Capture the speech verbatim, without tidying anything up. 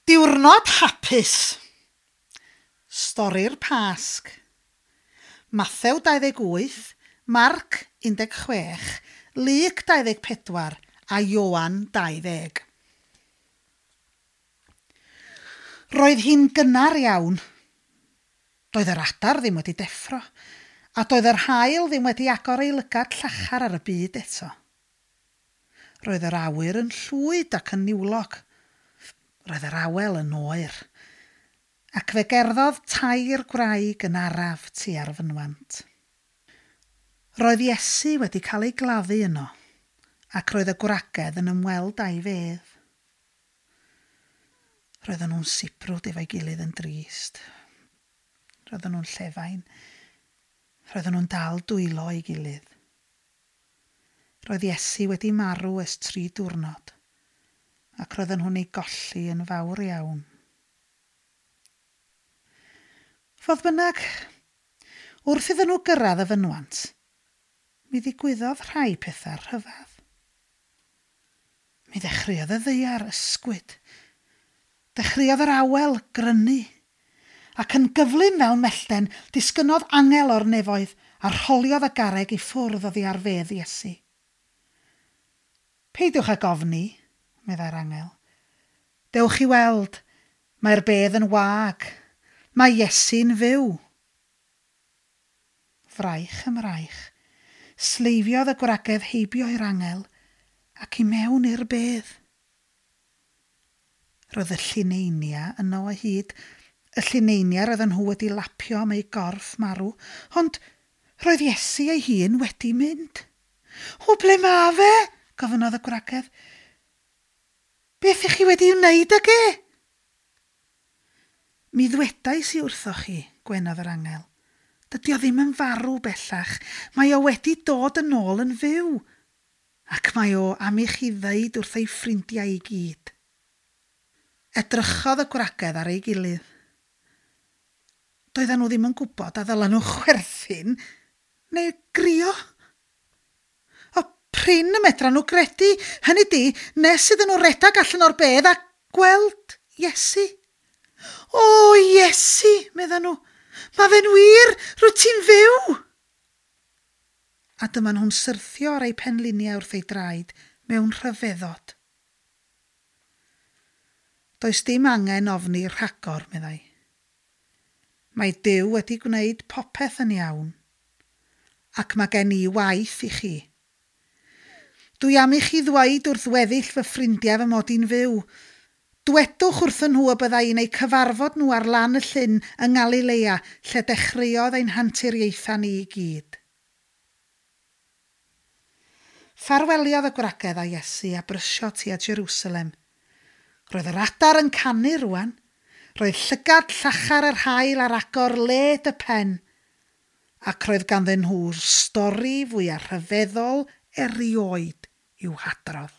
Diwrnod hapus. Stori'r Pasg. Mathew dau ddeg wyth, Marc un deg chwech, Luc dau ddeg pedwar a Ioan dau ddeg. Roedd hi'n gynnar iawn. Doedd yr adar ddim wedi deffro, a doedd yr haul ddim wedi agor ei lygad llachar ar y byd eto. Roedd yr awyr yn llwyd ac yn niwlog. Roedd yr awel yn oer, ac fe gerddodd tair gwraig yn araf tua'r fynwant. Roedd Iesu wedi cael ei gladdu yno, ac roedd y gwragedd yn ymweld â'i fedd. Roedden nhw'n sibrwd efo'i gilydd yn drist. Roedden nhw'n llefain. Roedden nhw'n dal dwylo ei gilydd. Roedd Iesu wedi marw ers tri diwrnod, ac roedden nhw'n ei golli yn fawr iawn. Fodd bynnag, wrth iddyn nhw gyrraedd y fynwant, mi ddigwyddodd rhai pethau rhyfedd. Mi ddechreuodd y ddaear ysgwyd. Dechreuodd yr awel grynu, ac yn gyflym fel mellten disgynnodd angel o'r nefoedd a rholiodd y garreg i ffwrdd oddi ar fedd Iesu. Peidiwch ag ofni, meddai'r angel. Dewch i weld, mae'r bedd yn wag, mae Iesu'n fyw. Fraich ym mraich, sleifiodd y gwragedd heibio i'r angel ac i mewn i'r bedd. Roedd y llineinia yno o hyd, y llineinia roedden nhw wedi lapio am ei gorff marw, ond roedd Iesu ei hun wedi mynd. O, ble ma fe? Gofynnodd y gwragedd. Beth ych chi wedi wneud ag e? Mi ddwedais i wrthoch chi, gwenodd yr angel. Dydy o ddim yn farw bellach. Mae o wedi dod yn ôl yn fyw. Ac mae o am i chi ddeud wrth ei ffrindiau i gyd. Edrychodd y gwragedd ar ei gilydd. Doedden nhw ddim yn gwybod a ddylen nhw chwerthin neu grio. O, prin y medran nhw gredu, hynny di, nes iddyn nhw redag allan o'r bedd a gweld Iesu. O, Iesu, medden nhw, mae fe'n wir, rwyt ti'n fyw. A dyma nhw'n syrthio ar eu penliniau wrth ei draed mewn rhyfeddod. Does dim angen ofni rhagor, meddai. Mae Duw wedi gwneud popeth yn iawn, ac mae gen i waith i chi. Dwi am i chi ddweud wrth weddill fy ffrindiau fy mod i'n fyw. Dwedwch wrthyn nhw y bydda i'n eu cyfarfod nhw ar lan y llyn yng Ngalilea, lle dechreuodd ein hanturiaethau ni i gyd. Ffarweliodd y gwragedd â Iesu a brysio tua Jerusalem. Roedd yr adar yn canu rwan. Roedd llygad llachar yr haul ar agor led y pen, ac roedd ganddyn nhw'r stori fwyaf rhyfeddol erioed i'w hadrodd.